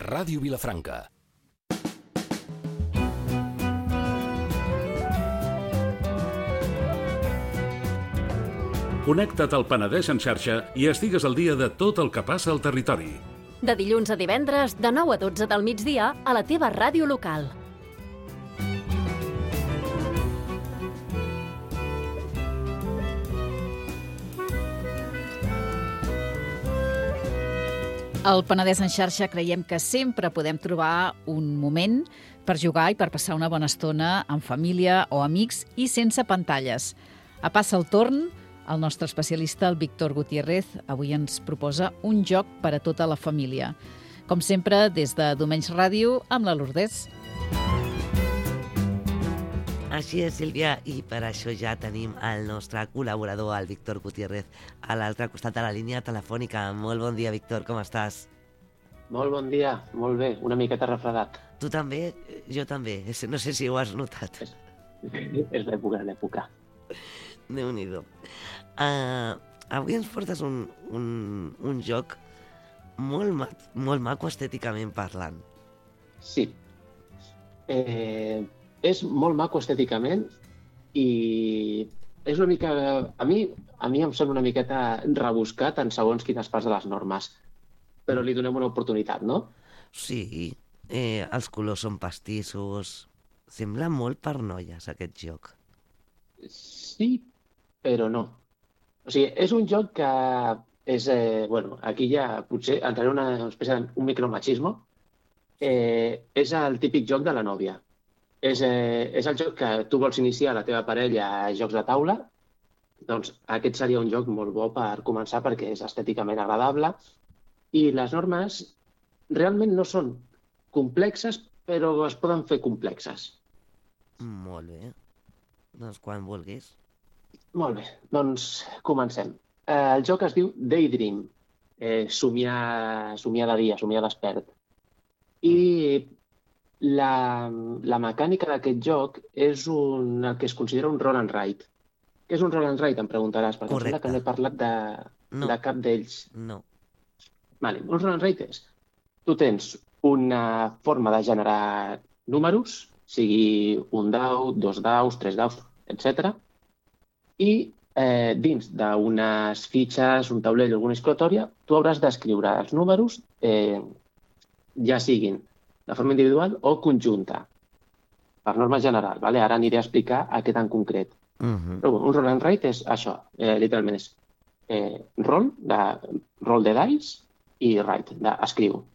Ràdio Vilafranca. Connecta't al Penedès en xarxa i estigues al dia de tot el que passa al territori. De dilluns a divendres, de 9 a 12 del migdia, a la teva ràdio local. Al Penedès en xarxa creiem que sempre podem trobar un moment per jugar i per passar una bona estona amb família o amics i sense pantalles. A Passa el torn, el nostre especialista, el Víctor Gutiérrez, avui ens proposa un joc per a tota la família. Com sempre, des de Domenys Ràdio, amb la Lourdes. Així és, Sílvia, i per això ja tenim el nostre col·laborador, el Víctor Gutiérrez, a l'altre costat de la línia telefònica. Molt bon dia, Víctor, com estàs? Molt bon dia, molt bé, una miqueta refredat. Tu també? Jo també, no sé si ho has notat. És l'època. Déu-n'hi-do. Avui ens portes un joc molt maco estèticament parlant. Sí. És molt maco estèticament i és una mica... A mi em sembla una miqueta rebuscat en segons quines parts de les normes, però li donem una oportunitat, no? Sí, els colors són pastissos. Sembla molt per noies, aquest joc. Sí, però no. O sigui, és un joc que és... aquí ja potser entraré en una espècie d'un micromachismo. És el típic joc de la nòvia. És el joc que tu vols iniciar la teva parella a jocs de taula. Doncs aquest seria un joc molt bo per començar perquè és estèticament agradable i les normes realment no són complexes, però es poden fer complexes. Molt bé. Doncs quan vulguis. Molt bé, doncs comencem. El joc es diu Daydream, somiar de dia, somiar despert. I la mecànica d'aquest joc és el que es considera un roll and write. Què és un roll and write, em preguntaràs, perquè em sembla que no he parlat de cap d'ells. No. Vale, un roll and write és... Tu tens una forma de generar números, sigui un dau, 2 daus, 3 daus, etc. I dins d'unes fitxes, un taulell o alguna escritòria, tu hauràs d'escriure els números, ja siguin de forma individual o conjunta, per norma general. Vale? Ara aniré a explicar aquest en concret. Però un roll and write és això, literalment és roll de dice i write, d'escriu.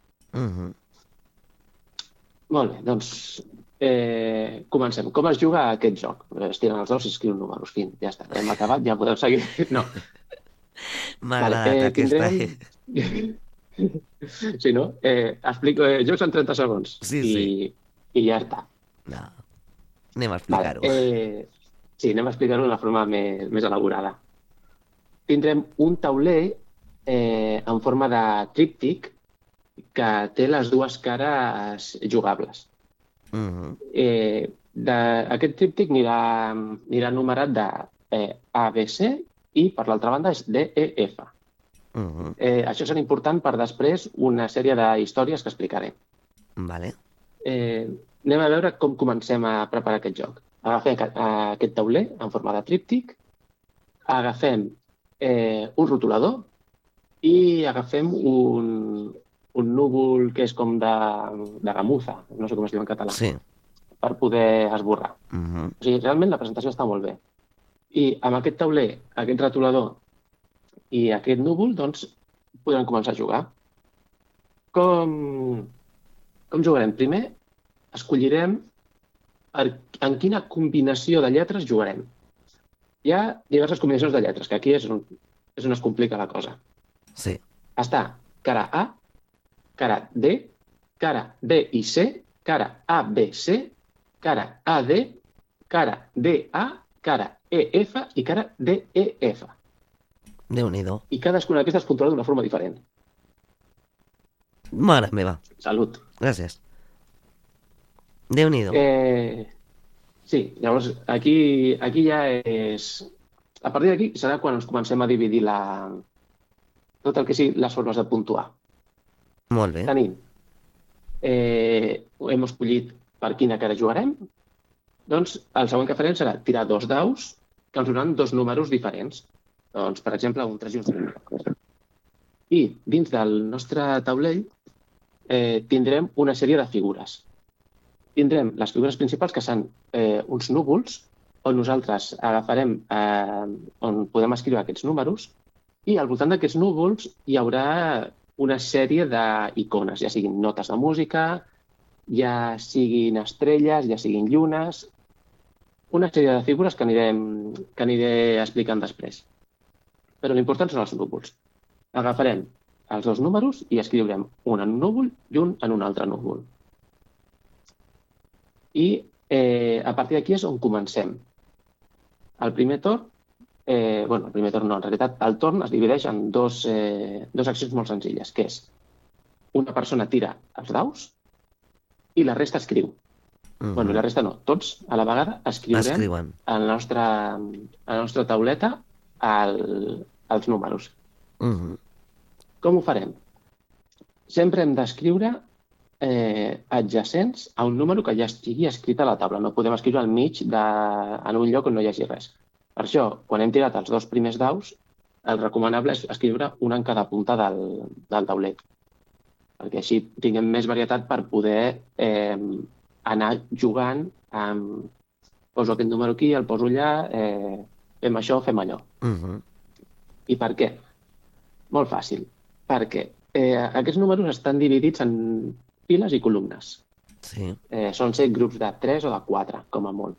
Molt bé, doncs comencem. Com es juga a aquest joc? Es tiren els daus i escriuen números. Fin, ja està. Hem acabat, ja podeu seguir. No. M'ha agradat aquesta. Sí, no? Explico jocs en 30 segons. Sí. I ja està. No. Anem a explicar-ho. Sí, anem a explicar-ho d'una forma més elaborada. Tindrem un tauler en forma de tríptic que té les dues cares jugables. Aquest tríptic anirà numerat de A, B, C i per l'altra banda és D, E, F. Això serà important per després una sèrie d'històries que explicaré. Vale. Anem a veure com comencem a preparar aquest joc. Agafem aquest tauler en forma de tríptic, agafem un rotulador i agafem un núvol que és com de gamuza, no sé com es diu en català, per poder esborrar. O sigui, realment la presentació està molt bé. I amb aquest tauler, aquest rotulador i aquest núvol, doncs, podrem començar a jugar. Com jugarem? Primer, escollirem en quina combinació de lletres jugarem. Hi ha diverses combinacions de lletres, que aquí és on es complica la cosa. Sí. Està cara A, cara D, cara D i C, cara A, B, C, cara A, D, cara D, A, cara E, F i cara D, E, F. Déu-n'hi-do. I cadascuna d'aquestes es puntuarà d'una forma diferent. Mare meva. Salut. Gràcies. Déu-n'hi-do. Sí, llavors aquí ja és... A partir d'aquí serà quan ens comencem a dividir tot el que sigui les formes de puntuar. Molt bé. Tenim hem escollit per quina cara jugarem, doncs el següent que farem serà tirar 2 daus que ens donaran 2 números diferents. Doncs, per exemple, un 3 i un 5. I dins del nostre taulell tindrem una sèrie de figures. Tindrem les figures principals, que són uns núvols, on nosaltres agafarem, on podem escriure aquests números, i al voltant d'aquests núvols hi haurà una sèrie d'icones, ja siguin notes de música, ja siguin estrelles, ja siguin llunes, una sèrie de figures que aniré explicant després. Però l'important són els núvols. Agafarem els 2 números i escriurem un en un núvol i un en un altre núvol. I a partir d'aquí és on comencem. El primer torn, el primer torn no, en realitat el torn es divideix en dos accions molt senzilles, que és una persona tira els daus i la resta escriu. Bueno, la resta no, tots a la vegada escriurem a la nostra tauleta els números. Com ho farem? Sempre hem d'escriure adjacents a un número que ja estigui escrit a la taula. No podem escriure al mig en un lloc on no hi hagi res. Per això, quan hem tirat els 2 primers daus, el recomanable és escriure un en cada punta del tauler, perquè així tinguem més varietat per poder anar jugant amb poso aquest número aquí, el poso allà, fem això, fem allò. I per què? Molt fàcil. Perquè aquests números estan dividits en files i columnes. Sí. Són ser grups de 3 o de 4, com a molt.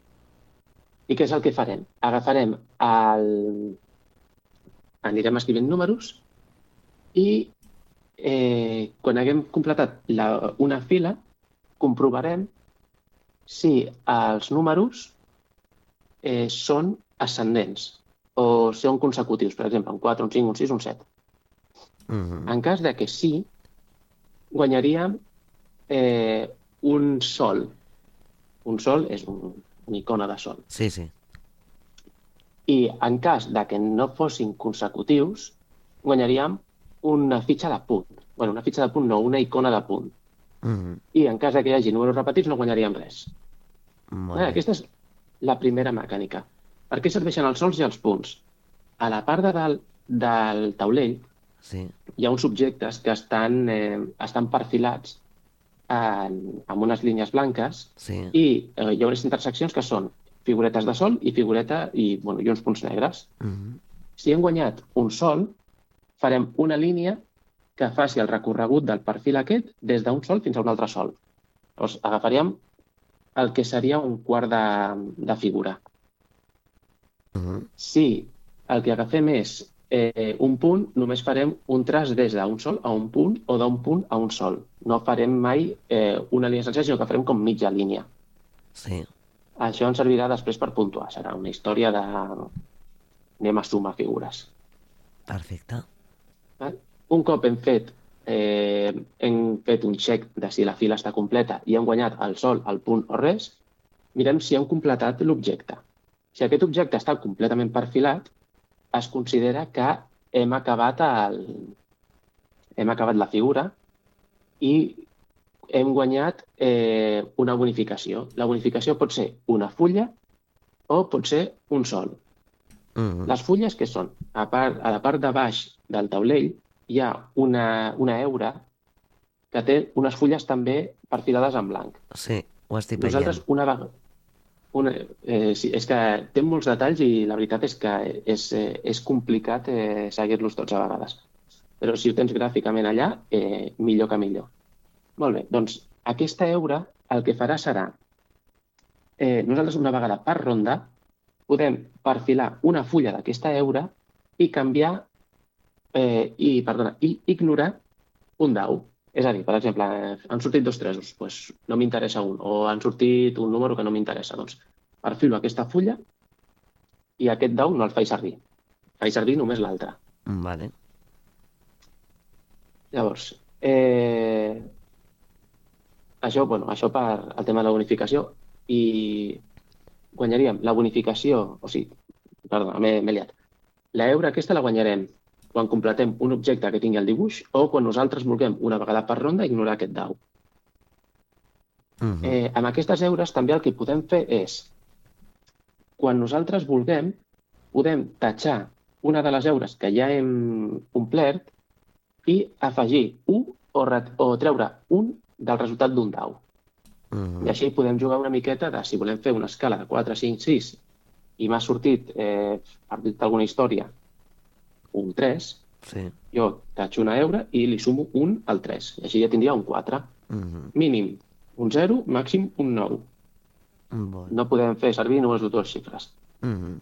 I què és el que farem? Agafarem anirem escrivint números i quan haguem completat una fila, comprovarem si els números són ascendents o són consecutius, per exemple, un 4, un 5, un 6, un 7. En cas de que sí, guanyaríem un sol. Un sol és una icona de sol. Sí, sí. I en cas de que no fossin consecutius, guanyaríem una fitxa de punt. Bueno, una fitxa de punt no, una icona de punt. I en cas de que hi hagi números repetits no guanyaríem res. Aquesta és la primera mecànica. Per què serveixen els sols i els punts? A la part de dalt del taulell hi ha uns objectes que estan perfilats amb unes línies blanques i hi ha unes interseccions que són figuretes de sol i uns punts negres. Si hem guanyat un sol, farem una línia que faci el recorregut del perfil aquest des d'un sol fins a un altre sol. Llavors agafaríem el que seria un quart de figura. Si el que agafem és un punt, només farem un traç des d'un sol a un punt o d'un punt a un sol. No farem mai una línia sencera, sinó que farem com mitja línia. Sí. Això ens servirà després per puntuar. Serà una història de... anem a sumar figures. Perfecte. Un cop hem fet un check de si la fila està completa i hem guanyat el sol, el punt o res, mirem si hem completat l'objecte. Si aquest objecte està completament perfilat, es considera que hem acabat la figura i hem guanyat una bonificació. La bonificació pot ser una fulla o pot ser un sol. Les fulles, què són? A la part de baix del taulell hi ha una heura que té unes fulles també perfilades en blanc. Sí, ho estic veient. Nosaltres és que té molts detalls i la veritat és que és complicat seguir-los tots a vegades. Però si ho tens gràficament allà, millor que millor. Molt bé, doncs aquesta heura el que farà serà nosaltres una vegada per ronda podem perfilar una fulla d'aquesta heura i canviar i ignorar un dau. És a dir, per exemple, han sortit 2 tresos, doncs no m'interessa un, o han sortit un número que no m'interessa, doncs perfilo aquesta fulla i aquest dau no el faig servir. Faig servir només l'altre. Vale. Llavors, això per al tema de la bonificació i guanyaríem la bonificació, m'he liat. La heura aquesta la guanyarem quan completem un objecte que tingui el dibuix o quan nosaltres vulguem una vegada per ronda ignorar aquest dau. Amb aquestes heures també el que podem fer és, quan nosaltres vulguem, podem tatxar una de les heures que ja hem omplert i afegir un o treure un del resultat d'un dau. I així podem jugar una miqueta de, si volem fer una escala de 4, 5, 6 i m'ha sortit, per dir alguna història, un 3, jo tatxo una heura i li sumo un al 3. I així ja tindria un 4. Mínim un 0, màxim un 9. No podem fer servir només dues xifres.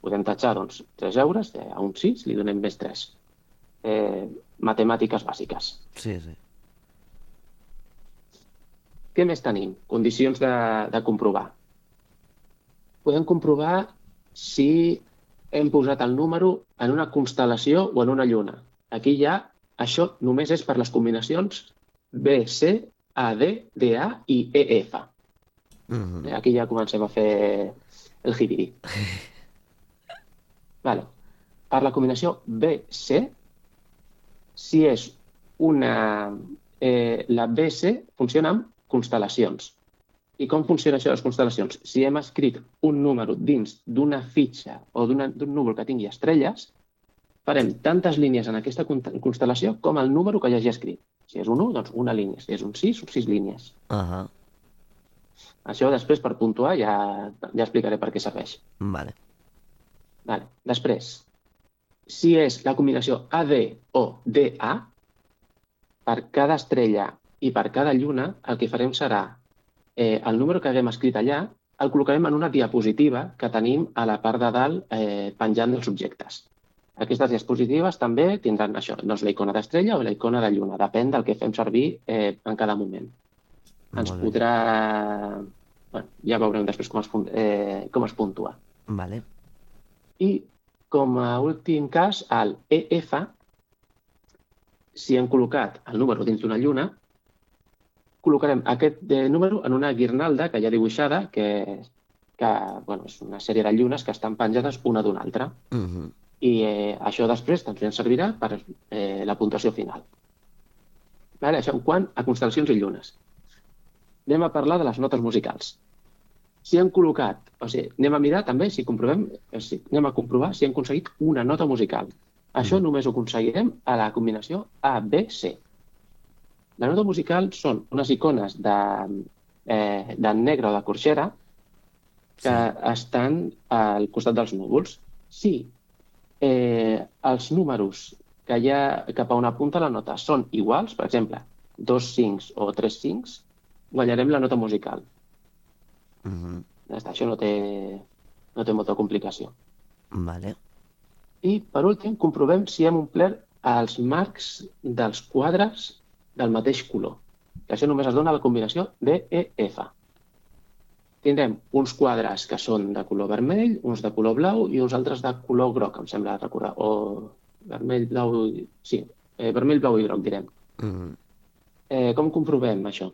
Podem tatxar, doncs, 3 heures, a un 6 li donem més 3. Matemàtiques bàsiques. Sí, sí. Què més tenim? Condicions de comprovar. Podem comprovar si hem posat el número en una constel·lació o en una lluna. Aquí ja, això només és per les combinacions B, C, A, D, D, A i E, F. Aquí ja comencem a fer el jibiri. Vale. Per la combinació B, C, si és una... la BC funciona amb constel·lacions. I com funciona això de les constel·lacions? Si hem escrit un número dins d'una fitxa o d'un núvol que tingui estrelles, farem tantes línies en aquesta constel·lació com el número que ja hagi escrit. Si és un 1, doncs una línia. Si és un 6, 6 línies. Això després, per puntuar, ja explicaré per què serveix. Vale. Després, si és la combinació AD o DA, per cada estrella i per cada lluna, el que farem serà el número que haguem escrit allà el col·locarem en una diapositiva que tenim a la part de dalt penjant dels objectes. Aquestes diapositives també tindran això, doncs la icona d'estrella o la icona de lluna, depèn del que fem servir en cada moment. Ens podrà... Bueno, ja veurem després com es puntua. Vale. I com a últim cas, el EF, si hem col·locat el número dins d'una lluna, col·locarem aquest número en una guirnalda que hi ha dibuixada, que és una sèrie de llunes que estan penjades una d'una altra. I això després també ens servirà per la puntuació final. Això en quant a constel·lacions i llunes. Anem a parlar de les notes musicals. Si hem col·locat, anem a mirar també, anem a comprovar si hem aconseguit una nota musical. Això només ho aconseguirem a la combinació A, B, C. La nota musical són unes icones de negre o de corxera que estan al costat dels núvols. Si els números que hi ha cap a on apunta la nota són iguals, per exemple, 2 5 o 3 5, guanyarem la nota musical. Això no té molta complicació. Vale. I, per últim, comprovem si hem omplert els marcs dels quadres del mateix color. Que això només es dona a la combinació DEF. Tindrem uns quadres que són de color vermell, uns de color blau i uns altres de color groc, em sembla recordar. O vermell, blau... Sí, vermell, blau i groc, direm. Com comprovem això?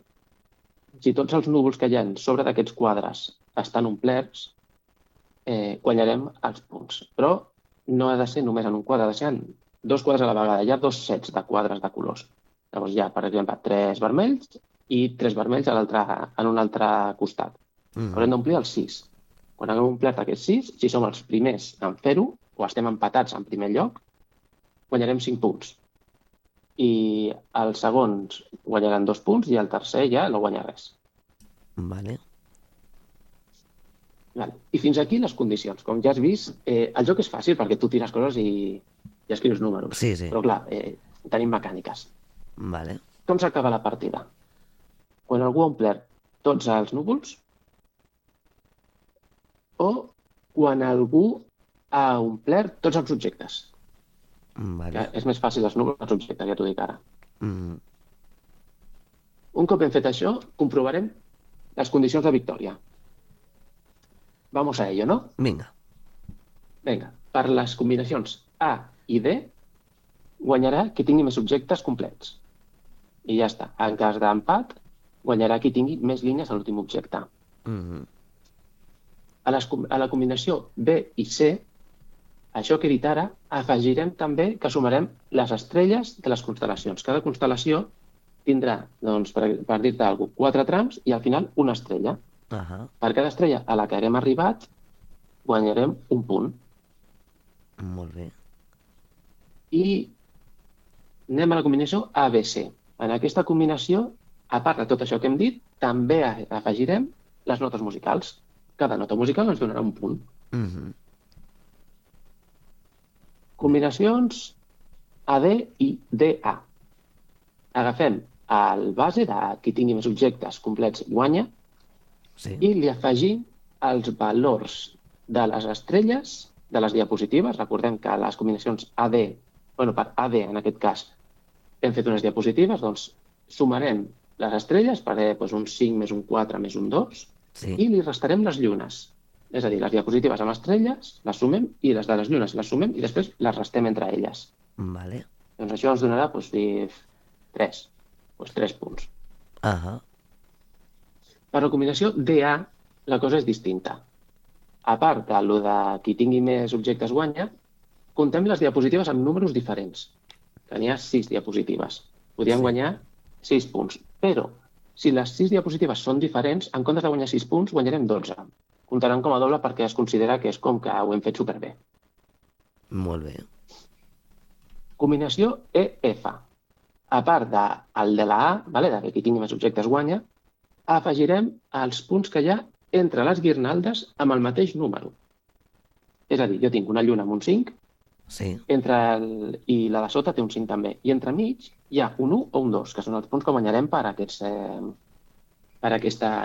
Si tots els núvols que hi ha sobre d'aquests quadres estan omplerts, guanyarem els punts. Però no ha de ser només en un quadre, ha de ser en 2 quadres a la vegada. Hi ha 2 sets de quadres de colors. Llavors hi ha, per exemple, 3 vermells i 3 vermells en un altre costat. Haurem d'omplir els 6. Quan haguem omplert aquests 6, si som els primers en fer-ho, o estem empatats en primer lloc, guanyarem 5 punts. I els segons guanyaran 2 punts i el tercer ja no guanya res. Vale. I fins aquí les condicions. Com ja has vist, el joc és fàcil perquè tu tires coses i escrius números. Sí. Però clar, tenim mecàniques. Vale. Com s'acaba la partida? Quan algú ha omplert tots els núvols o quan algú ha omplert tots els objectes. Vale. És més fàcil els núvols que els objectes, ja t'ho dic ara. Un cop hem fet això, comprovarem les condicions de victòria. Vamos a ello, ¿no? Vinga. Per les combinacions A i D, guanyarà qui tingui més objectes complets. I ja està. En cas d'empat, guanyarà qui tingui més línies a l'últim objecte. A la combinació B i C, això que he dit ara, afegirem també que sumarem les estrelles de les constel·lacions. Cada constel·lació tindrà, doncs, per dir-te alguna cosa, 4 trams i al final una estrella. Per cada estrella a la que haguem arribat, guanyarem un punt. Molt bé. I anem a la combinació ABC. En aquesta combinació, a part de tot això que hem dit, també afegirem les notes musicals. Cada nota musical ens donarà un punt. Combinacions AD i DA. Agafem el base de qui tingui més objectes complets guanya i li afegim els valors de les estrelles de les diapositives. Recordem que les combinacions AD, per AD en aquest cas, hem fet unes diapositives, doncs sumarem les estrelles, faré un 5 més un 4 més un 2, i li restarem les llunes. És a dir, les diapositives amb estrelles les sumem i les de les llunes les sumem i després les restem entre elles. Vale. Doncs això ens donarà 3. 3 punts. Per la combinació DA, la cosa és distinta. A part de qui tingui més objectes guanya, comptem les diapositives amb números diferents, que n'hi ha 6 diapositives. Podríem guanyar 6 punts, però si les 6 diapositives són diferents, en comptes de guanyar 6 punts, guanyarem 12. Comptaran com a doble perquè es considera que és com que ho hem fet superbé. Molt bé. Combinació EF. A part del de la A, de que qui tingui més objectes guanya, afegirem els punts que hi ha entre les guirnaldes amb el mateix número. És a dir, jo tinc una lluna amb un 5, i la de sota té un 5 també. I entremig hi ha un 1 o un 2, que són els punts que guanyarem per aquesta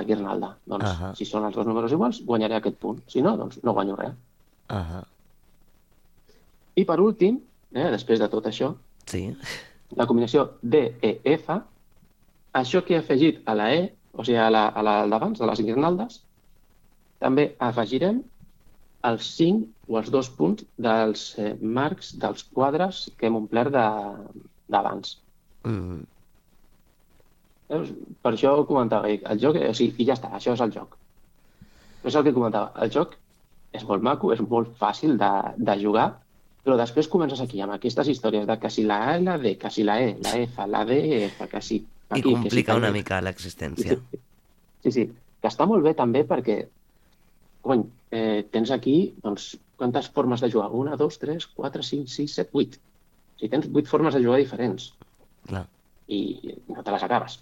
guirnalda. Doncs, si són els dos números iguals, guanyaré aquest punt. Si no, doncs no guanyo res. I per últim, després de tot això, la combinació DEF, això que he afegit a la E, o sigui, a la d'abans, de les guirnaldes, també afegirem els 5 o els 2 punts dels marcs dels quadres que hem omplert d'abans. Per això ho comentava, el joc, i ja està, això és el joc. Però és el que comentava, el joc és molt maco, és molt fàcil de jugar, però després comences aquí amb aquestes històries de que si la A i la D, que si la E, la F, la D, F, que si... I complica una mica l'existència. Sí, que està molt bé també perquè tens aquí, doncs, quantes formes de jugar? 1, 2, 3, 4, 5, 6, 7, 8. O sigui, tens 8 formes de jugar diferents. Clar. I no te les acabes.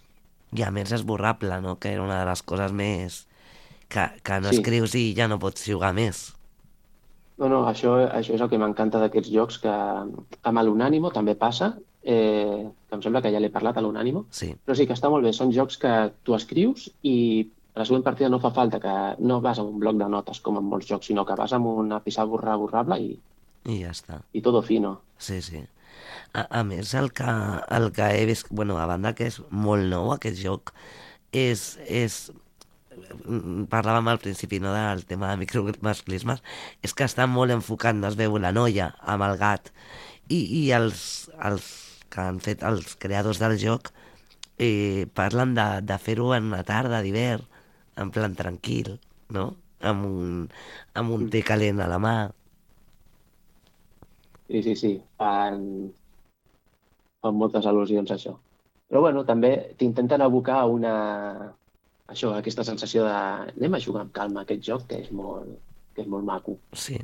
I a més és esborrable, no? Que era una de les coses més... que no escrius i ja no pots jugar més. No, això és el que m'encanta d'aquests jocs, que amb l'Unànimo també passa, que em sembla que ja l'he parlat a l'Unànimo, però sí que està molt bé. Són jocs que tu escrius i a la següent partida no fa falta que no vas a un bloc de notes com en molts jocs, sinó que vas amb una pissarra borrable i ja està. I todo fino. Sí. A més, el que he vist, a banda que és molt nou aquest joc, és parlàvem al principi, no, del tema de micromasclismes, és que està molt enfocat, no es veu la noia amb el gat, i els que han fet els creadors del joc parlen de fer-ho en una tarda d'hivern, en plan tranquil, no? Amb un té calent a la mà. Sí. Fan moltes al·lusions a això. Però també t'intenten abocar aquesta sensació de anem a jugar amb calma aquest joc, que és molt maco. Sí.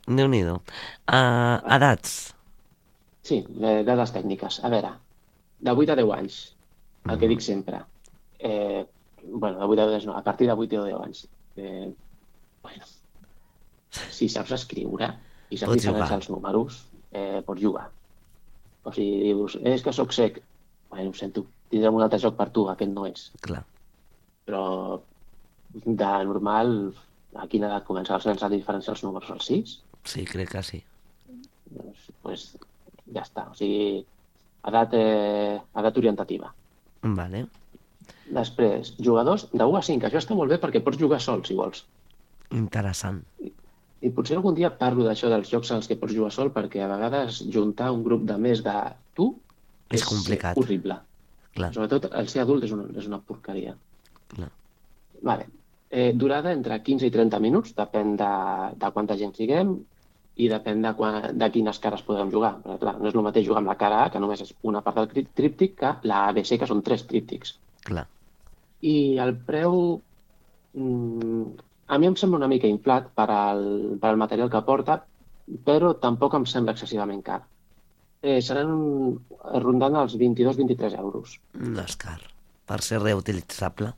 Déu-n'hi-do. Edats? Sí, dades tècniques. A veure, de 8 a 10 anys, el que dic sempre. De 8 a 10 no, a partir de 8 o 10 anys. Si saps escriure i saps diferenciar els números, pots jugar. O sigui, dius, és que soc sec. Ho sento, tindrem un altre joc per tu, aquest no és. Clar. Però de normal, a quina edat comença els nens a diferenciar els números? Als 6? Sí, crec que sí. Doncs ja està. O sigui, edat orientativa. Vale. Després, jugadors de 1 a 5. Això està molt bé perquè pots jugar sol, si vols. Interessant. I potser algun dia parlo d'això dels jocs en els que pots jugar sol, perquè a vegades juntar un grup de més de tu és complicat. Horrible. Clar. Sobretot el ser adult és una porqueria. Clar. Vale. Durada entre 15 i 30 minuts, depèn de quanta gent siguem. i depèn de quines cares podem jugar. Perquè, clar, no és el mateix jugar amb la cara A, que només és una part del tríptic, que la ABC, que són 3 tríptics. Clar. I el preu, a mi em sembla una mica inflat per al material que porta, però tampoc em sembla excessivament car. Seran rondant els 22-23 euros. No és car. Per ser reutilitzable.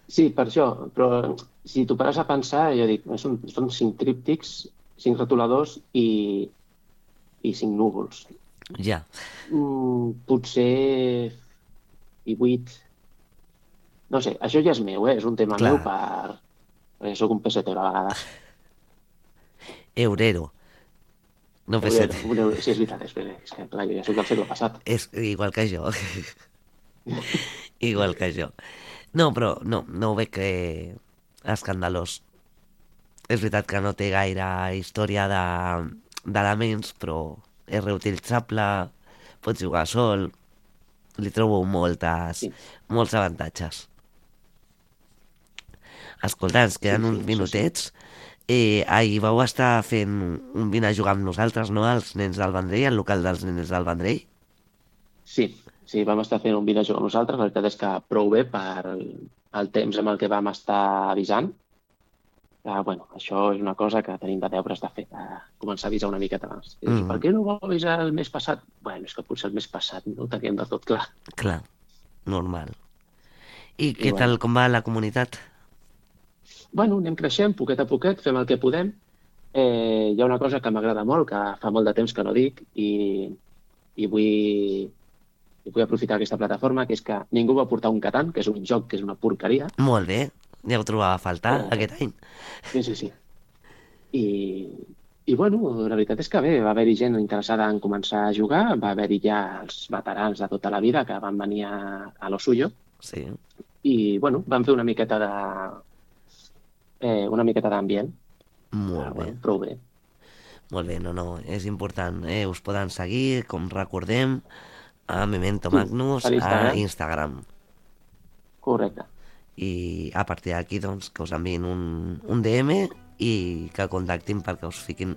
Sí, per això, però si t'ho pares a pensar, jo dic, són 5 tríptics, 5 retoladors i 5 núvols. Ja. Potser 8. No sé, això ja és meu, és un tema meu perquè soc un pesetero a vegades. Eurero. No pesetero. Sí, és veritat, és que clar, jo ja soc del segle passat. És igual que jo. Igual que jo. No, però no ho veig escandalós. És veritat que no té gaire història d'elements, però és reutilitzable, pots jugar sol, li trobo molts avantatges. Escolta, ens queden uns minutets. Ahir vau estar fent un vine a jugar amb nosaltres, no?, als nens del Vendrell, al local dels nens del Vendrell. Sí, vam estar fent un vine a jugar amb nosaltres. La veritat és que prou bé per el temps amb el que vam estar avisant. Bueno, això és una cosa que tenim de deures de fer, de començar a avisar una miqueta abans. Per què no ho vau avisar el mes passat? Bueno, és que potser el mes passat no ho teníem de tot clar. Clar, normal. I què tal, com va la comunitat? Bueno, anem creixent, poquet a poquet, fem el que podem. Hi ha una cosa que m'agrada molt, que fa molt de temps que no dic, i vull aprofitar aquesta plataforma, que és que ningú va portar un Catan, que és un joc que és una porqueria. Molt bé. Ja ho trobava a faltar aquest any. Sí. I bueno, la veritat és que bé, va haver-hi gent interessada en començar a jugar, va haver-hi ja els veterans de tota la vida que van venir a lo suyo. Sí. I bueno, van fer una miqueta d'ambient. Molt bé. Prou bé. Molt bé, no, és important. Us poden seguir, com recordem, a Memento Magnus, a Instagram. Correcte. I a partir d'aquí, doncs, que us enviïn un DM i que contactin perquè us fiquin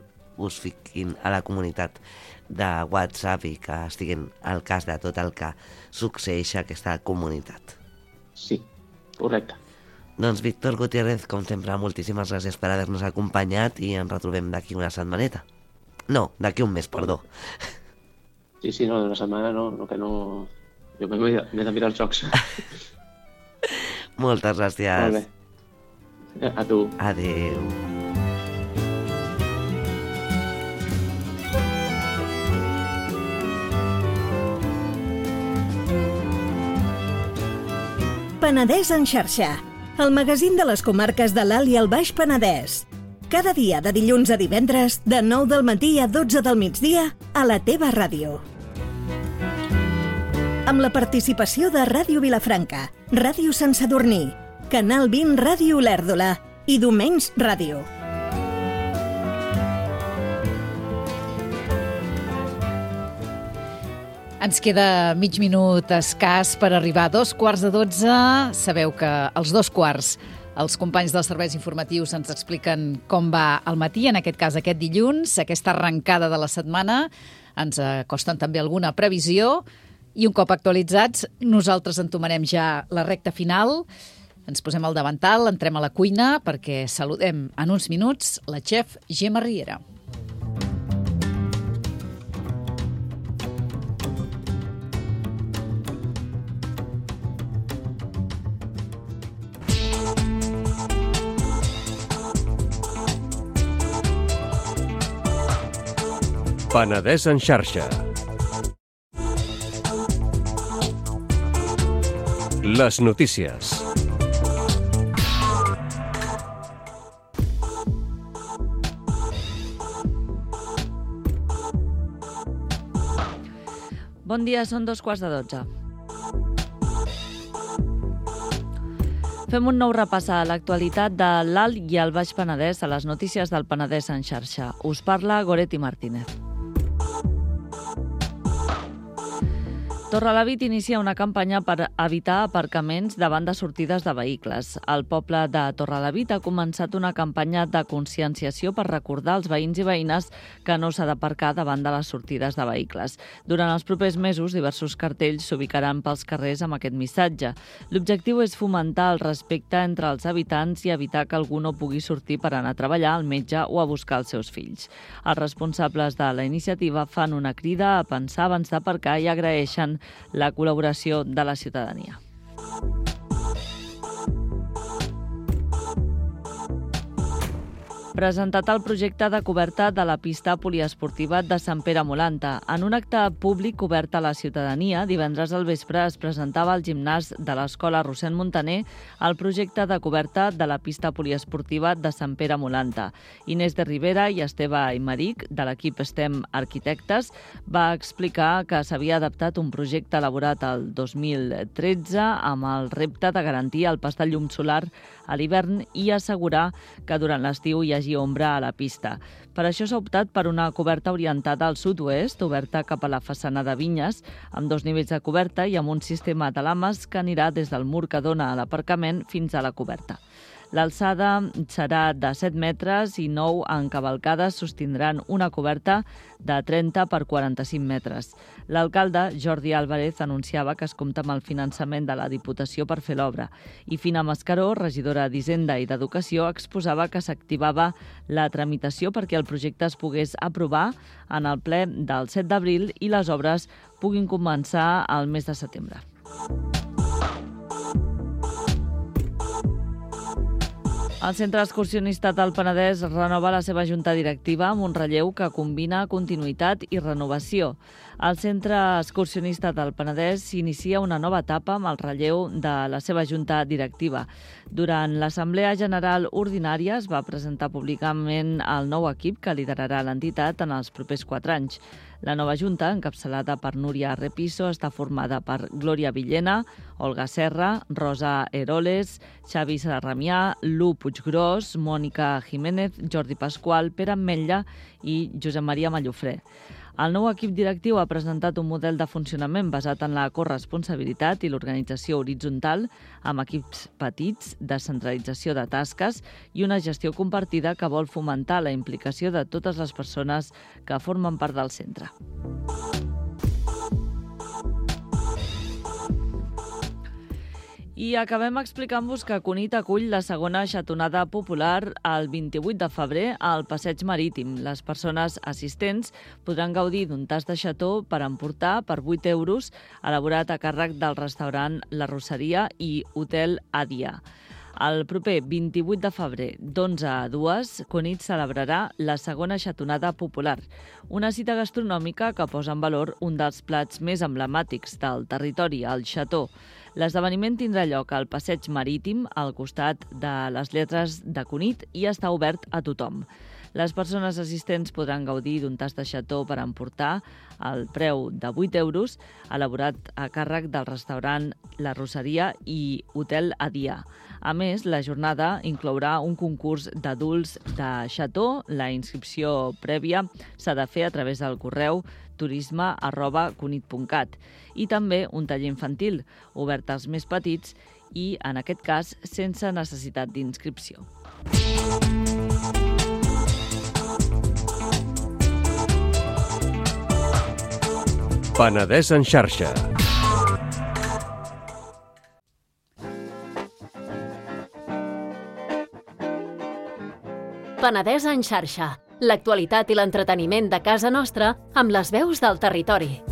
a la comunitat de WhatsApp i que estiguin al cas de tot el que succeeix a aquesta comunitat. Sí, correcte. Doncs Víctor Gutiérrez, com sempre, moltíssimes gràcies per haver-nos acompanyat i ens retrobem d'aquí una setmaneta. No, d'aquí un mes, perdó. Sí, no, una setmana no, que no... Jo m'he de mirar els jocs. Moltes gràcies. Molt bé. A tu. Adéu. Penedès en xarxa, el magazín de les comarques de l'Alt i el Baix Penedès. Cada dia de dilluns a divendres, de 9 del matí a 12 del migdia, a la teva ràdio. Amb la participació de Ràdio Vilafranca, Ràdio Sant Sadurní, Canal 20 Ràdio Olèrdola i Domenys Ràdio. Ens queda mig minut escàs per arribar a 11:15. Sabeu que als 2:15 els companys dels serveis informatius ens expliquen com va el matí, en aquest cas aquest dilluns, aquesta arrencada de la setmana. Ens acosten també alguna previsió. I un cop actualitzats, nosaltres entomarem ja la recta final. Ens posem al davantal, entrem a la cuina perquè saludem en uns minuts la xef Gemma Riera. Penedès en xarxa. Les notícies. Bon dia, són 11:45. Fem un nou repàs a l'actualitat de l'Alt i el Baix Penedès a les notícies del Penedès en xarxa. Us parla Goretti Martínez. Torrelavit inicia una campanya per evitar aparcaments davant de sortides de vehicles. El poble de Torrelavit ha començat una campanya de conscienciació per recordar als veïns i veïnes que no s'ha d'aparcar davant de les sortides de vehicles. Durant els propers mesos, diversos cartells s'ubicaran pels carrers amb aquest missatge. L'objectiu és fomentar el respecte entre els habitants i evitar que algú no pugui sortir per anar a treballar, al metge o a buscar els seus fills. Els responsables de la iniciativa fan una crida a pensar abans d'aparcar i agraeixen la col·laboració de la ciutadania. Presentat el projecte de coberta de la pista poliesportiva de Sant Pere Molanta. En un acte públic obert a la ciutadania, divendres al vespre es presentava al gimnàs de l'Escola Rossend Montaner el projecte de coberta de la pista poliesportiva de Sant Pere Molanta. Inés de Rivera i Esteve Aymeric, de l'equip STEM Arquitectes, va explicar que s'havia adaptat un projecte elaborat el 2013 amb el repte de garantir el pas de llum solar a l'hivern i assegurar que durant l'estiu hi hagi ombra a la pista. Per això s'ha optat per una coberta orientada al sud-oest, oberta cap a la façana de Vinyes, amb 2 nivells de coberta i amb un sistema de lames que anirà des del mur que dona a l'aparcament fins a la coberta. L'alçada serà de 7 metres i 9 encavalcades sostindran una coberta de 30 per 45 metres. L'alcalde, Jordi Álvarez, anunciava que es compta amb el finançament de la Diputació per fer l'obra. I Fina Mascaró, regidora d'Hisenda i d'Educació, exposava que s'activava la tramitació perquè el projecte es pogués aprovar en el ple del 7 d'abril i les obres puguin començar al mes de setembre. El Centre Excursionista del Penedès renova la seva junta directiva amb un relleu que combina continuïtat i renovació. El Centre Excursionista del Penedès inicia una nova etapa amb el relleu de la seva junta directiva. Durant l'Assemblea General Ordinària es va presentar públicament el nou equip que liderarà l'entitat en els propers 4 anys. La nova junta, encapçalada per Núria Repiso, està formada per Glòria Villena, Olga Serra, Rosa Heroles, Xavi Sarramià, Lu Puiggròs, Mònica Jiménez, Jordi Pasqual, Pere Ametlla i Josep Maria Mallofré. El nou equip directiu ha presentat un model de funcionament basat en la corresponsabilitat i l'organització horitzontal amb equips petits, descentralització de tasques i una gestió compartida que vol fomentar la implicació de totes les persones que formen part del centre. I acabem explicant-vos que Cunit acull la segona xatonada popular el 28 de febrer al Passeig Marítim. Les persones assistents podran gaudir d'un tast de xató per emportar per 8 euros, elaborat a càrrec del restaurant La Rosseria i Hotel Adia. El proper 28 de febrer, d'11 a 2, Cunit celebrarà la segona xatonada popular, una cita gastronòmica que posa en valor un dels plats més emblemàtics del territori, el xató. L'esdeveniment tindrà lloc al Passeig Marítim, al costat de les lletres de Cunit, i està obert a tothom. Les persones assistents podran gaudir d'un tast de xató per emportar al preu de 8 euros, elaborat a càrrec del restaurant La Rosseria i Hotel Adia. A més, la jornada inclourà un concurs d'adults de xató. La inscripció prèvia s'ha de fer a través del correu turisme@cunit.cat i també un taller infantil, obert als més petits i, en aquest cas, sense necessitat d'inscripció. Penedès en xarxa. Penedès en xarxa. L'actualitat i l'entreteniment de casa nostra amb les veus del territori.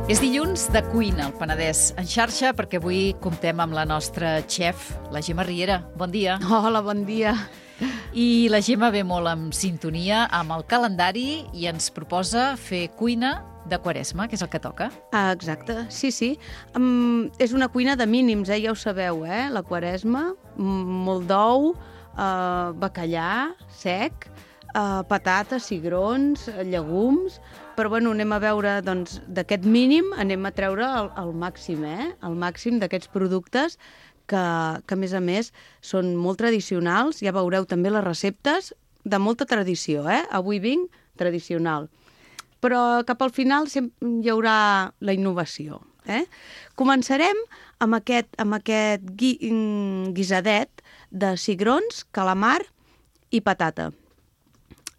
És dilluns de cuina al Penedès en xarxa perquè avui comptem amb la nostra xef, la Gemma Riera. Bon dia. Hola, bon dia. I la Gemma ve molt en sintonia amb el calendari i ens proposa fer cuina de Quaresma, que és el que toca. Exacte, sí. És una cuina de mínims, ja ho sabeu, la Quaresma, molt d'ou, bacallà sec, patates, cigrons, llegums, però bueno, anem a veure, doncs, d'aquest mínim anem a treure el màxim, el màxim d'aquests productes que a més, són molt tradicionals. Ja veureu també les receptes, de molta tradició, Avui vinc tradicional. Però cap al final hi haurà la innovació. Començarem amb aquest guisadet de cigrons, calamar i patata.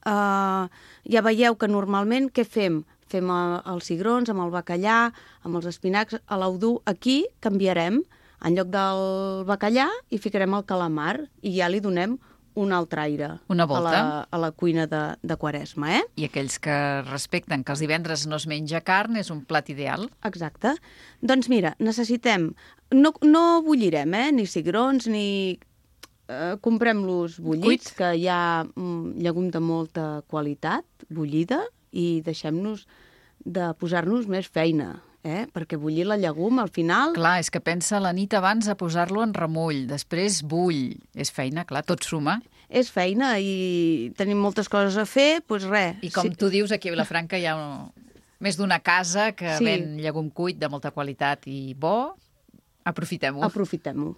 Ja veieu que normalment què fem? Fem els cigrons amb el bacallà, amb els espinacs, a l'Audú. Aquí canviarem, en lloc del bacallà hi ficarem el calamar i ja li donem un altre aire Una volta. a la cuina de Quaresma. I aquells que respecten que els divendres no es menja carn és un plat ideal. Exacte. Doncs mira, necessitem... No bullirem, ni cigrons, ni... Comprem-los bullits, que hi ha llegum de molta qualitat, bullida, i deixem-nos de posar-nos més feina, perquè bullir la llegum al final... Clar, és que pensa la nit abans a posar-lo en remull, després bull. És feina, clar, tot suma. És feina i tenim moltes coses a fer, doncs res. I com tu dius, aquí a Vilafranca hi ha més d'una casa que ven llegum cuit de molta qualitat i bo. Aprofitem-ho. Aprofitem-ho.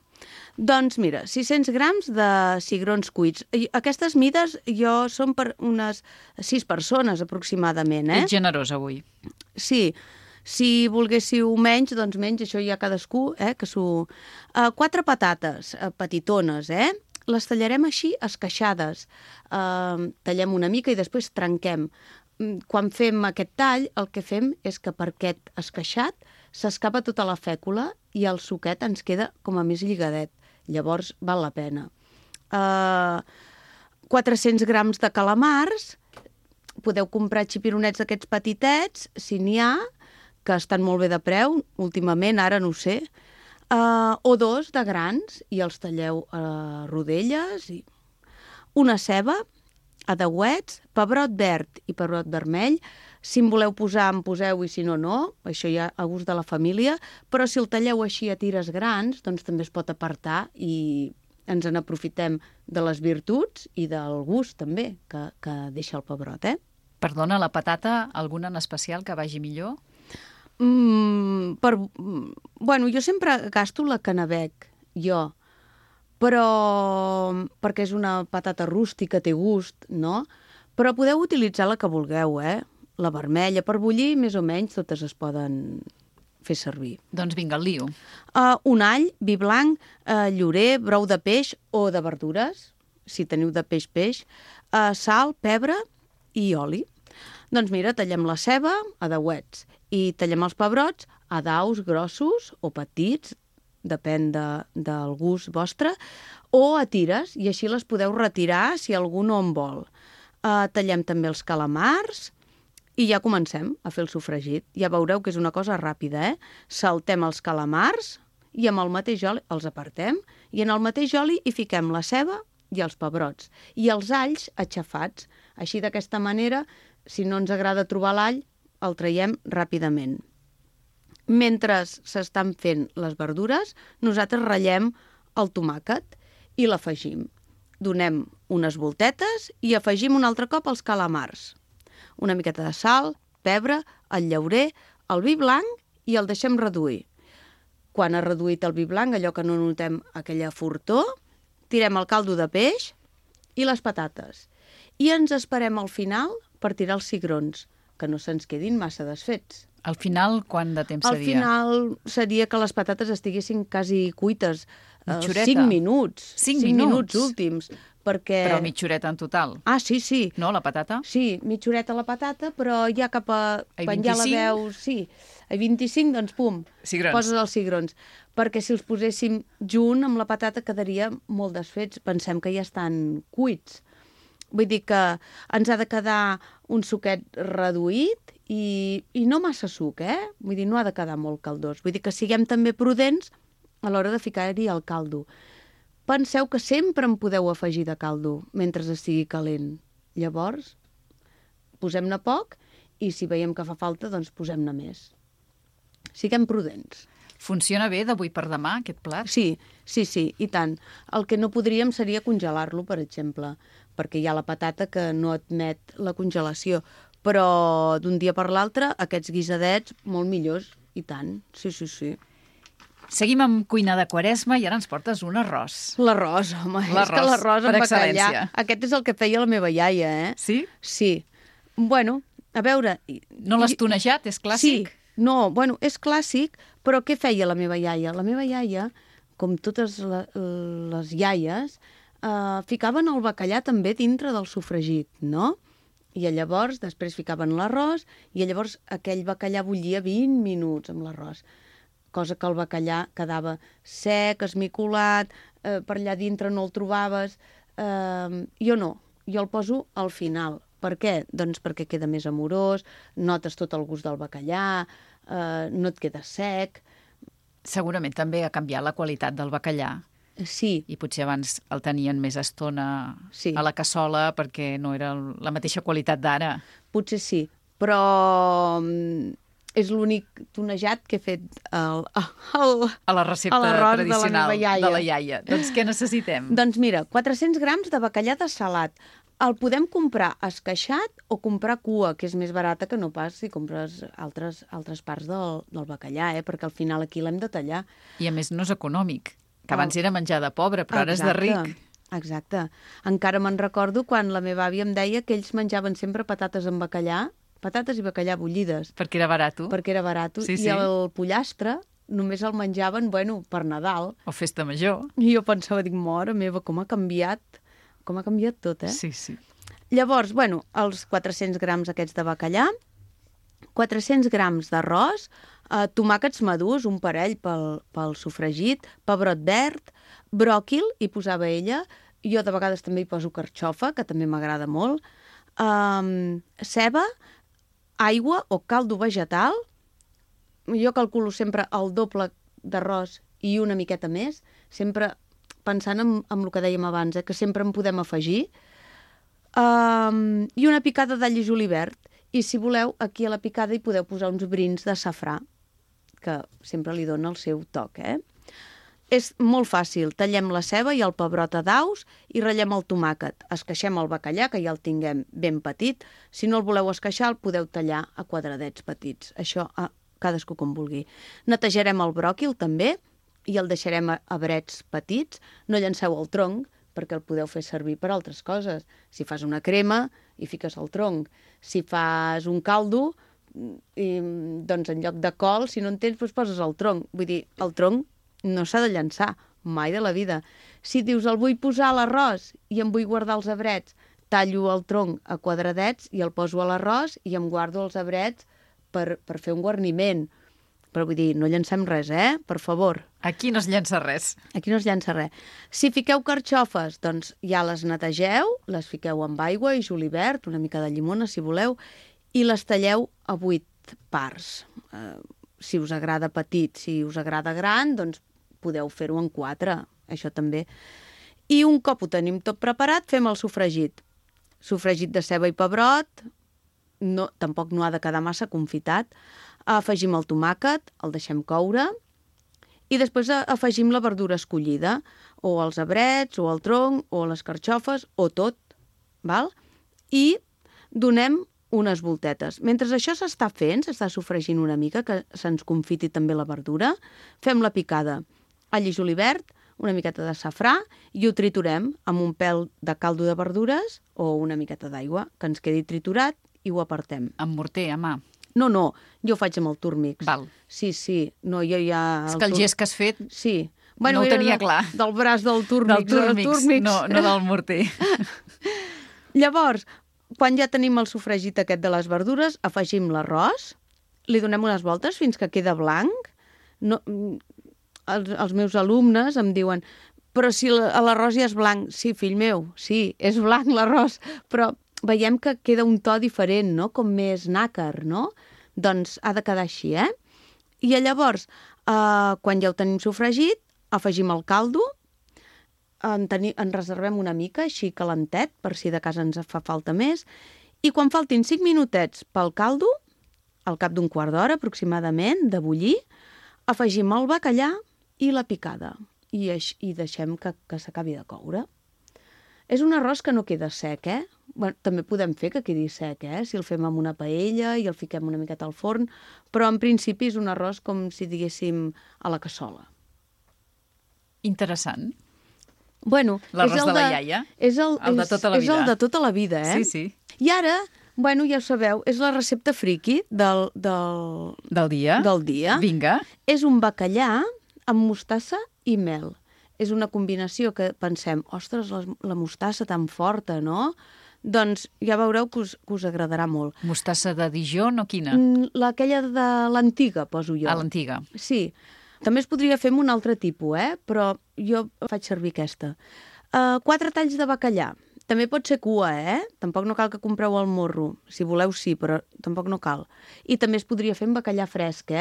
Doncs mira, 600 grams de cigrons cuits. Aquestes mides són per unes 6 persones aproximadament. Ets generós avui. Sí. Si volguéssiu menys, doncs menys, això ja cadascú, que s'ho... 4 patates petitones, Les tallarem així esqueixades. Tallem una mica i després trenquem. Quan fem aquest tall, el que fem és que per aquest esqueixat s'escapa tota la fècula i el suquet ens queda com a més lligadet. Llavors val la pena. 400 grams de calamars. Podeu comprar xipironets d'aquests petitets, si n'hi ha, que estan molt bé de preu, últimament, ara no ho sé, o 2 de grans, i els talleu a rodelles. Una ceba, a deuets, pebrot verd i pebrot vermell. Si en voleu posar, en poseu, i si no, no. Això ja a gust de la família. Però si el talleu així a tires grans, doncs també es pot apartar i ens n'aprofitem de les virtuts i del gust, també, que deixa el pebrot, Perdona, la patata, alguna en especial que vagi millor? Jo sempre gasto la canabec, però perquè és una patata rústica, té gust, no? Però podeu utilitzar la que vulgueu, La vermella, per bullir, més o menys, totes es poden fer servir. Doncs vinga, el lio. Un all, vi blanc, llorer, brou de peix o de verdures, si teniu de peix, sal, pebre i oli. Doncs mira, tallem la ceba a deuets i tallem els pebrots a daus grossos o petits, depèn del gust vostre, o a tires, i així les podeu retirar si algú no en vol. Tallem també els calamars i ja comencem a fer el sofregit. Ja veureu que és una cosa ràpida, Saltem els calamars i amb el mateix oli els apartem i en el mateix oli hi fiquem la ceba i els pebrots i els alls aixafats. Així, d'aquesta manera, si no ens agrada trobar l'all, el traiem ràpidament. Mentre s'estan fent les verdures, nosaltres ratllem el tomàquet i l'afegim. Donem unes voltetes i afegim un altre cop els calamars. Una miqueta de sal, pebre, el llaurer, el vi blanc i el deixem reduir. Quan ha reduït el vi blanc, allò que no notem aquella fortor, tirem el caldo de peix i les patates. I ens esperem al final per tirar els cigrons, que no se'ns quedin massa desfets. Al final, quant de temps seria? Al final seria que les patates estiguessin quasi cuites. Mitjoreta. 5 minuts. 5 minuts últims. Perquè... Però mitjoreta en total. Sí. No, la patata? Sí, mitjoreta la patata, però ja cap a penjar 25? la veu... Sí, a 25, doncs pum, Cigrons. poses els cigrons. Perquè si els poséssim junt amb la patata quedaria molt desfets. Pensem que ja estan cuits. Vull dir que ens ha de quedar un suquet reduït i no massa suc, Vull dir, no ha de quedar molt caldós. Vull dir que siguem també prudents a l'hora de ficar-hi el caldo. Penseu que sempre en podeu afegir de caldo mentre estigui calent. Llavors, posem-ne poc i si veiem que fa falta, doncs posem-ne més. Siguem prudents. Funciona bé d'avui per demà, aquest plat? Sí, i tant. El que no podríem seria congelar-lo, per exemple, perquè hi ha la patata que no admet la congelació. Però d'un dia per l'altre, aquests guisadets, molt millors, i tant. Sí. Seguim amb cuina de Quaresma i ara ens portes un arròs. L'arròs, home, és que L'arròs, l'arròs per amb bacallà... excel·lència. Aquest és el que feia la meva iaia, eh? Sí? Sí. Bueno, a veure... No l'has tonejat, és clàssic? Sí, no, bueno, és clàssic, però què feia la meva iaia? La meva iaia, com totes les iaies, ficaven el bacallà també dintre del sofregit, no? I llavors, després ficaven l'arròs, i llavors aquell bacallà bullia 20 minuts amb l'arròs. Cosa que el bacallà quedava sec, esmicolat, per allà dintre no el trobaves. Jo no, jo el poso al final. Per què? Doncs perquè queda més amorós, notes tot el gust del bacallà, no et queda sec. Segurament també ha canviat la qualitat del bacallà. Sí. I potser abans el tenien més estona a la cassola perquè no era la mateixa qualitat d'ara. Potser sí, però és l'únic tonejat que he fet a la recepta tradicional de la iaia. Doncs què necessitem? Doncs mira, 400 grams de bacallà de salat. El podem comprar esqueixat o comprar cua, que és més barata que no pas si compres altres parts del bacallà, perquè al final aquí l'hem de tallar. I a més no és econòmic, que abans era menjar de pobre, però ara és de ric. Exacte. Encara me'n recordo quan la meva àvia em deia que ells menjaven sempre patates amb bacallà, patates i bacallà bullides. Perquè era barat. Perquè era barat. Sí, sí. I el pollastre només el menjaven, per Nadal. O festa major. I jo pensava, mare meva, com ha canviat tot, eh? Sí, sí. Llavors, els 400 grams aquests de bacallà, 400 grams d'arròs, tomàquets madurs, un parell pel sofregit, pebrot verd, bròquil, hi posava ella, jo de vegades també hi poso carxofa, que també m'agrada molt, ceba, aigua o caldo vegetal, jo calculo sempre el doble d'arròs i una miqueta més, sempre pensant en el que dèiem abans, que sempre en podem afegir, i una picada d'all i julivert. I si voleu, aquí a la picada hi podeu posar uns brins de safrà, que sempre li dona el seu toc, És molt fàcil. Tallem la ceba i el pebrot a daus i ratllem el tomàquet. Esqueixem el bacallà, que ja el tinguem ben petit. Si no el voleu esqueixar, el podeu tallar a quadradets petits. Això cadascú com vulgui. Netejarem el bròquil també i el deixarem a brets petits. No llanceu el tronc, perquè el podeu fer servir per altres coses. Si fas una crema, hi fiques el tronc. Si fas un caldo, doncs en lloc de col, si no en tens, doncs poses el tronc. Vull dir, el tronc no s'ha de llançar, mai de la vida. Si dius, el vull posar a l'arròs i em vull guardar els abrets, tallo el tronc a quadradets i el poso a l'arròs i em guardo els abrets per fer un guarniment. Però vull dir, no llancem res, Per favor. Aquí no es llença res. Aquí no es llença res. Si fiqueu carxofes, doncs ja les netegeu, les fiqueu amb aigua i julivert, una mica de llimona, si voleu, i les talleu a 8 parts. Si us agrada petit, si us agrada gran, doncs podeu fer-ho en 4, això també. I un cop ho tenim tot preparat, fem el sofregit. Sofregit de ceba i pebrot, tampoc no ha de quedar massa confitat. Afegim el tomàquet, el deixem coure, i després afegim la verdura escollida, o els abrets, o el tronc, o les carxofes, o tot, val? I donem unes voltetes. Mentre això s'està fent, s'està sofregint una mica, que se'ns confiti també la verdura, fem la picada. All i julivert, una miqueta de safrà, i ho triturem amb un pèl de caldo de verdures o una miqueta d'aigua, que ens quedi triturat, i ho apartem. Amb morter, a mà? No, jo ho faig amb el Turmix. Val. Sí. No, jo ja... És que el gest que has fet sí. No ho tenia clar. Del braç del Turmix. Del Turmix, no del morter. Llavors, quan ja tenim el sofregit aquest de les verdures, afegim l'arròs, li donem unes voltes fins que queda blanc. Els meus alumnes em diuen, però si l'arròs ja és blanc. Sí, fill meu, sí, és blanc l'arròs, però veiem que queda un to diferent, no? Com més nàcar, no? Doncs ha de quedar així, I llavors, quan ja ho tenim sofregit, afegim el caldo, en reservem una mica, així calentet, per si de casa ens fa falta més, i quan faltin 5 minutets pel caldo, al cap d'un quart d'hora aproximadament, de bullir, afegim el bacallà i la picada, i deixem que s'acabi de coure. És un arròs que no queda sec, Bueno, també podem fer que quedi sec, si el fem amb una paella i el fiquem una miqueta al forn, però en principi és un arròs com si diguéssim a la cassola. Interessant. Bueno, L'arròs de la iaia. És el de tota la vida. És el de tota la vida, Sí, sí. I ara, bueno, ja ho sabeu, és la recepta friki del dia. del dia. Vinga. És un bacallà amb mostassa i mel. És una combinació que pensem, ostres, la mostassa tan forta, no? Doncs ja veureu que us agradarà molt. Mostassa de Dijon o quina? Aquella de l'antiga, poso jo. A l'antiga. Sí. També es podria fer amb un altre tipus, però jo faig servir aquesta. 4 talls de bacallà. També pot ser cua, Tampoc no cal que compreu el morro. Si voleu, sí, però tampoc no cal. I també es podria fer amb bacallà fresc,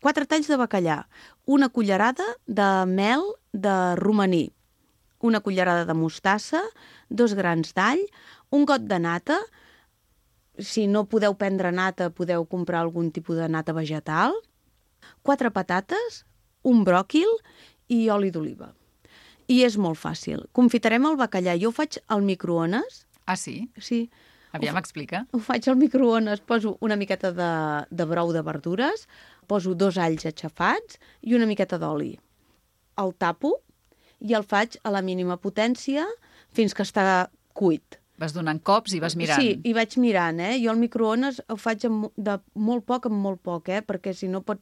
4 talls de bacallà. Una cullerada de mel de romaní. Una cullerada de mostassa, 2 grans d'all, un got de nata. Si no podeu prendre nata, podeu comprar algun tipus de nata vegetal. 4 patates, un bròquil i oli d'oliva. I és molt fàcil. Confitarem el bacallà. Jo ho faig al microones. Ah, sí? Sí. Aviam, explica. Ho faig al microones. Poso una miqueta de brou de verdures, poso 2 alls aixafats i una miqueta d'oli. El tapo i el faig a la mínima potència fins que està cuit. Vas donant cops i vas mirant. Sí, i vaig mirant, Jo al microones ho faig de molt poc en molt poc, perquè si no pot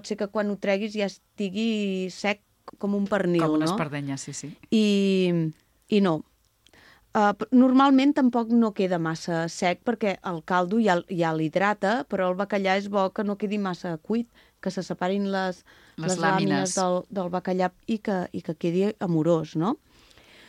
ser que quan ho treguis ja estigui sec com un pernil, Com una no? espardenya, sí, sí. I no. Normalment tampoc no queda massa sec perquè el caldo ja l'hidrata, però el bacallà és bo que no quedi massa cuit, que se separin les làmines del bacallà i que quedi amorós, no?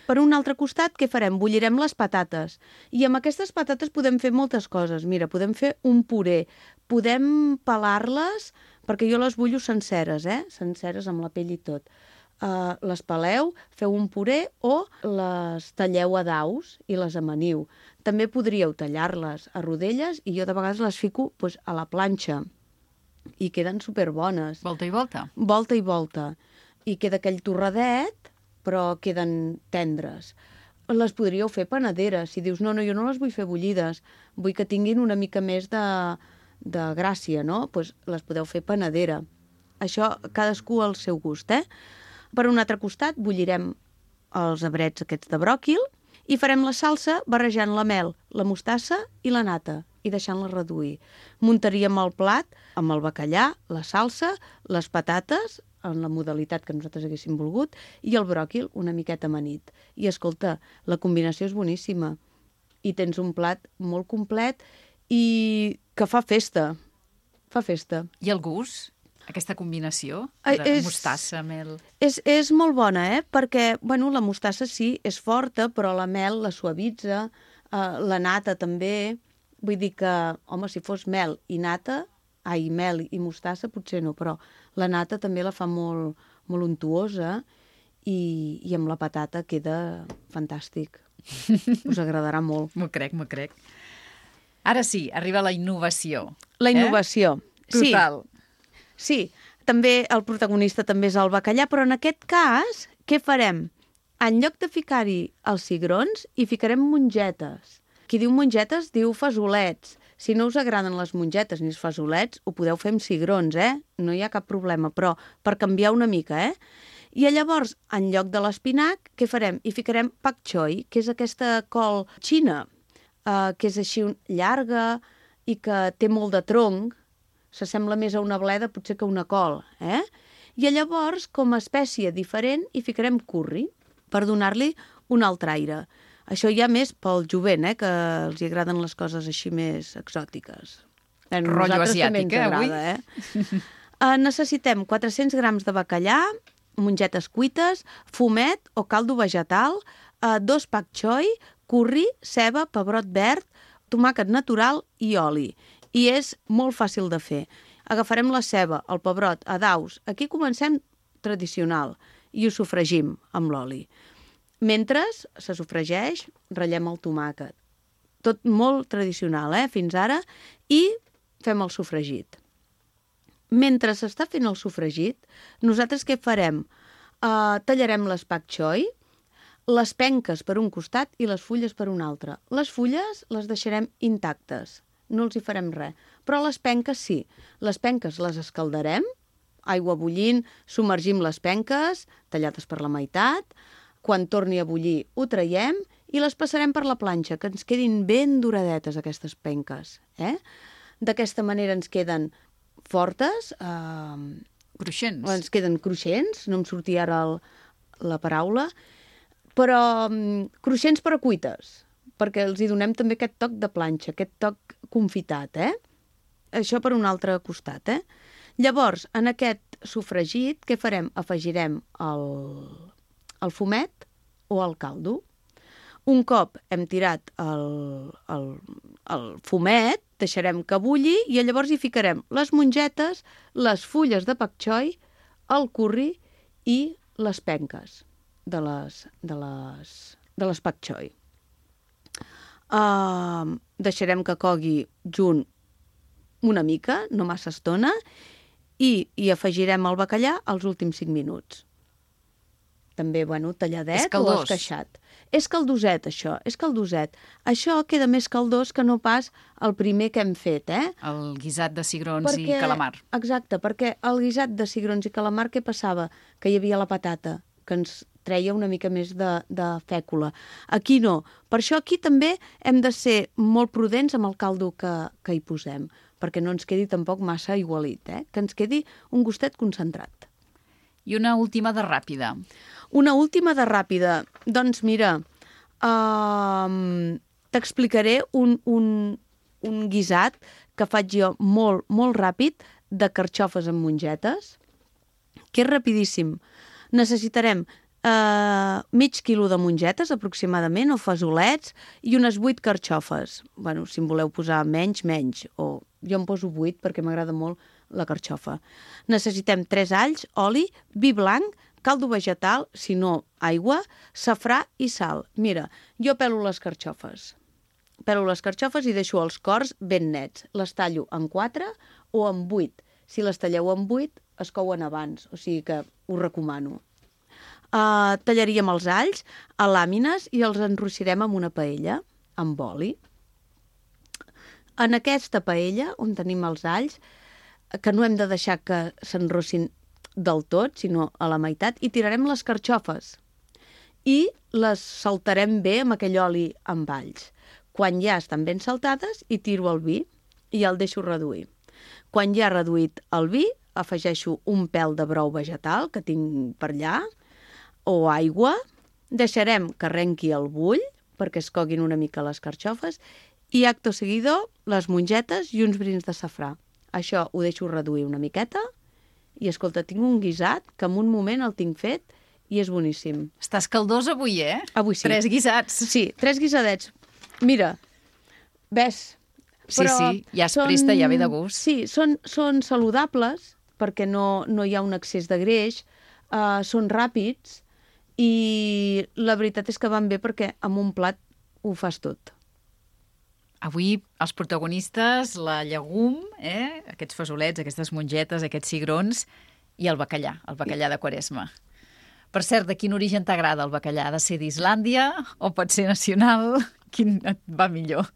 Per un altre costat, què farem? Bullirem les patates. I amb aquestes patates podem fer moltes coses. Mira, podem fer un puré, podem pelar-les, perquè jo les bullo senceres, senceres amb la pell i tot. Les peleu, feu un puré o les talleu a daus i les amaniu. També podríeu tallar-les a rodelles i jo de vegades les fico a la planxa i queden superbones. Volta i volta. Volta i volta. I queda aquell torradet, però queden tendres. Les podríeu fer panaderes. Si dius, no, jo no les vull fer bullides, vull que tinguin una mica més de gràcia, no? Doncs les podeu fer panadera. Això cadascú al seu gust, Per un altre costat, bullirem els abrets aquests de bròquil i farem la salsa barrejant la mel, la mostassa i la nata i deixant-la reduir. Muntaríem el plat amb el bacallà, la salsa, les patates, en la modalitat que nosaltres haguéssim volgut, i el bròquil una miqueta amanit. I escolta, la combinació és boníssima. I tens un plat molt complet i que fa festa. Fa festa. I el gust? Aquesta combinació de mostassa, mel... És molt bona, perquè la mostassa sí, és forta, però la mel la suavitza, la nata també. Vull dir que, home, si fos mel i nata, mel i mostassa potser no, però la nata també la fa molt, molt untuosa i amb la patata queda fantàstic. Us agradarà molt. M'ho crec. Ara sí, arriba la innovació. La innovació. Total. Sí, també el protagonista també és el bacallà, però en aquest cas, què farem? En lloc de ficar-hi els cigrons, hi ficarem mongetes. Qui diu mongetes diu fesolets. Si no us agraden les mongetes ni els fesolets, ho podeu fer amb cigrons, No hi ha cap problema, però per canviar una mica, I llavors, en lloc de l'espinac, què farem? Hi ficarem pak choi, que és aquesta col xina, que és així llarga i que té molt de tronc, s'assembla més a una bleda potser que a una col, I llavors, com a espècie diferent, hi ficarem curri, per donar-li un altre aire. Això ja més pel jovent, que els agraden les coses així més exòtiques. Rotllo asiàtic, avui? Necessitem 400 grams de bacallà, mongetes cuites, fumet o caldo vegetal, 2 pak choi, curri, ceba, pebrot verd, tomàquet natural i oli. I és molt fàcil de fer. Agafarem la ceba, el pebrot, a daus. Aquí comencem tradicional i ho sofregim amb l'oli. Mentre se sofregeix, ratllem el tomàquet. Tot molt tradicional, fins ara, i fem el sofregit. Mentre s'està fent el sofregit, nosaltres què farem? Tallarem les pak choi, les penques per un costat i les fulles per un altre. Les fulles les deixarem intactes, no els hi farem res. Però les penques sí. Les penques les escaldarem aigua bullint, submergim les penques, tallades per la meitat. Quan torni a bullir ho traiem i les passarem per la planxa, que ens quedin ben duradetes aquestes penques. D'aquesta manera ens queden fortes, Cruixents. ens queden cruixents, no em sortia ara la paraula, però cruixents però cuites, perquè els hi donem també aquest toc de planxa, aquest toc confitat, Això per un altre costat, Llavors, en aquest sofregit, què farem? Afegirem el fumet o el caldo. Un cop hem tirat el fumet, deixarem que bulli i llavors hi ficarem les mongetes, les fulles de pak choi, el curri i les penques de les pak choi. Deixarem que cogui junt una mica, no massa estona, i hi afegirem el bacallà als últims 5 minuts. També, talladet o esqueixat. És caldoset, això, és caldoset. Això queda més caldós que no pas el primer que hem fet, El guisat de cigrons i calamar. Exacte, perquè el guisat de cigrons i calamar, què passava? Que hi havia la patata, que ens treia una mica més de fècula. Aquí no. Per això aquí també hem de ser molt prudents amb el caldo que hi posem, perquè no ens quedi tampoc massa igualit, que ens quedi un gustet concentrat. I una última de ràpida. Una última de ràpida. Doncs mira, t'explicaré un guisat que faig jo molt, molt ràpid de carxofes amb mongetes, que és rapidíssim. Necessitarem mig quilo de mongetes, aproximadament, o fesolets, i unes 8 carxofes. Si en voleu posar menys, o jo en poso 8 perquè m'agrada molt la carxofa. Necessitem 3 alls, oli, vi blanc, caldo vegetal, si no, aigua, safrà i sal. Mira, jo pelo les carxofes. Pelo les carxofes i deixo els cors ben nets. Les tallo en 4 o en 8. Si les talleu en 8, es couen abans, o sigui que us recomano. Tallaríem els alls a làmines i els enrossirem en una paella, amb oli. En aquesta paella, on tenim els alls, que no hem de deixar que s'enrossin del tot, sinó a la meitat, i tirarem les carxofes. I les saltarem bé amb aquell oli amb alls. Quan ja estan ben saltades, hi tiro el vi i el deixo reduir. Quan ja ha reduït el vi, afegeixo un pèl de brou vegetal que tinc per allà, o aigua, deixarem que arrenqui el bull, perquè es coguin una mica les carxofes, i acto seguido, les mongetes i uns brins de safrà. Això ho deixo reduir una miqueta i, escolta, tinc un guisat que en un moment el tinc fet i és boníssim. Estàs caldós avui, Avui sí. 3 guisats. Sí, 3 guisadets. Mira, ves. Sí, ja es presta, ja ve de gust. Sí, són saludables perquè no hi ha un excés de greix, són ràpids i la veritat és que van bé perquè amb un plat ho fas tot. Avui els protagonistes, la llegum, aquests fesolets, aquestes mongetes, aquests cigrons i el bacallà de Quaresma. Per cert, de quin origen t'agrada el bacallà? Ha de ser d'Islàndia o pot ser nacional? Quin et va millor?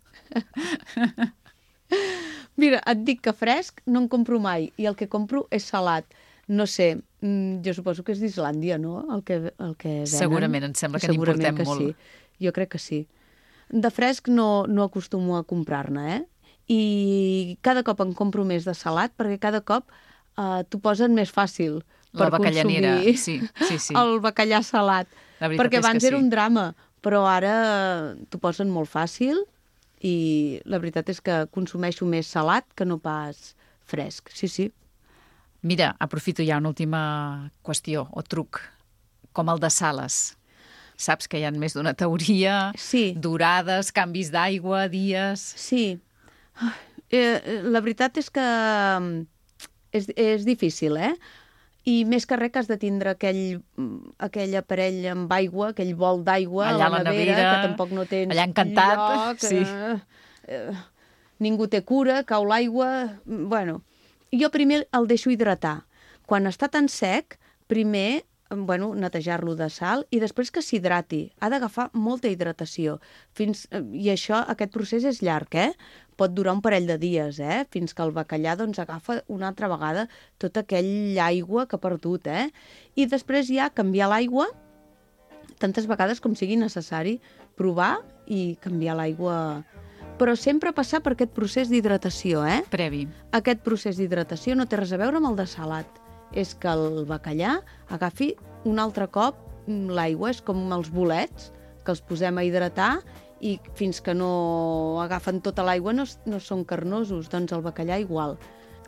Mira, et dic que fresc no en compro mai i el que compro és salat. No sé, jo suposo que és d'Islàndia, no?, el que venen. Segurament, em sembla que n'importem molt. Sí. Jo crec que sí. De fresc no acostumo a comprar-ne, I cada cop en compro més de salat perquè cada cop t'ho posen més fàcil per consumir sí. el bacallà salat. Perquè abans era un drama, però ara t'ho posen molt fàcil i la veritat és que consumeixo més salat que no pas fresc. Sí. Mira, aprofito ja una última qüestió o truc, com el de Sales. Saps que hi ha més d'una teoria, durades, canvis d'aigua, dies... Sí. La veritat és que és difícil, I més que res que has de tindre aquell aparell amb aigua, aquell bol d'aigua a la nevera, que tampoc no tens allà encantat, lloc, ningú té cura, cau l'aigua... Bueno, jo primer el deixo hidratar. Quan està tan sec, primer netejar-lo de sal i després que s'hidrati. Ha d'agafar molta hidratació. I aquest procés és llarg, Pot durar un parell de dies, fins que el bacallà agafa una altra vegada tota aquella aigua que ha perdut, I després ja canviar l'aigua tantes vegades com sigui necessari, provar i canviar l'aigua. Però sempre passar per aquest procés d'hidratació, Previ. Aquest procés d'hidratació no té res a veure amb el de salat. És que el bacallà agafi un altre cop l'aigua. És com els bolets que els posem a hidratar i fins que no agafen tota l'aigua no són carnosos. Doncs el bacallà igual.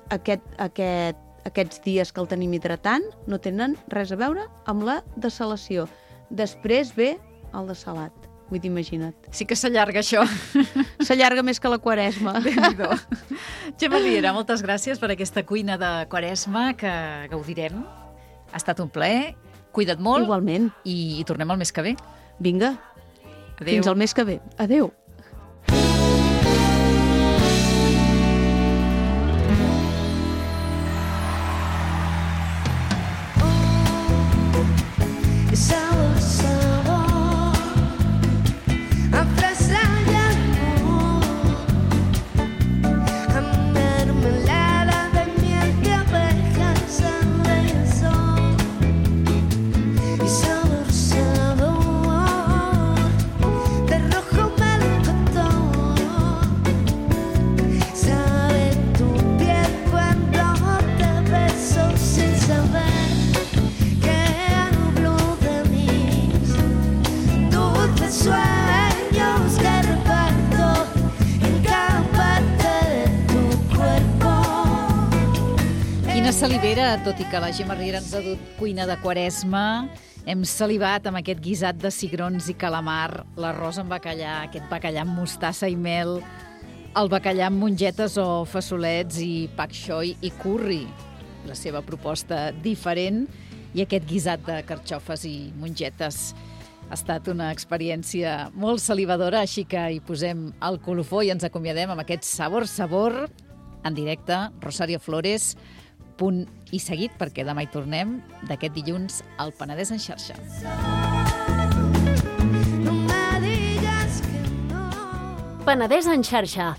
Aquests dies que el tenim hidratant no tenen res a veure amb la dessalació. Després ve el de salat. Vull dir, imagina't. Sí que s'allarga això. S'allarga més que la Quaresma. Déu-n'hi-do. Gemma Riera, moltes gràcies per aquesta cuina de Quaresma que gaudirem. Ha estat un plaer. Cuida't molt. Igualment. I tornem el mes que ve. Vinga. Adéu. Fins al mes que ve. Adéu. Salivera, tot i que la Gemma Riera ens ha dut cuina de Quaresma, hem salivat amb aquest guisat de cigrons i calamar, l'arròs amb bacallà, aquest bacallà amb mostassa i mel, el bacallà amb mongetes o fassolets i pak choi i curri, la seva proposta diferent, i aquest guisat de carxofes i mongetes. Ha estat una experiència molt salivadora, així que hi posem el colofó i ens acomiadem amb aquest sabor en directe. Rosario Flores, punt i seguit, perquè demà hi tornem, d'aquest dilluns al Penedès en xarxa. Penedès en xarxa,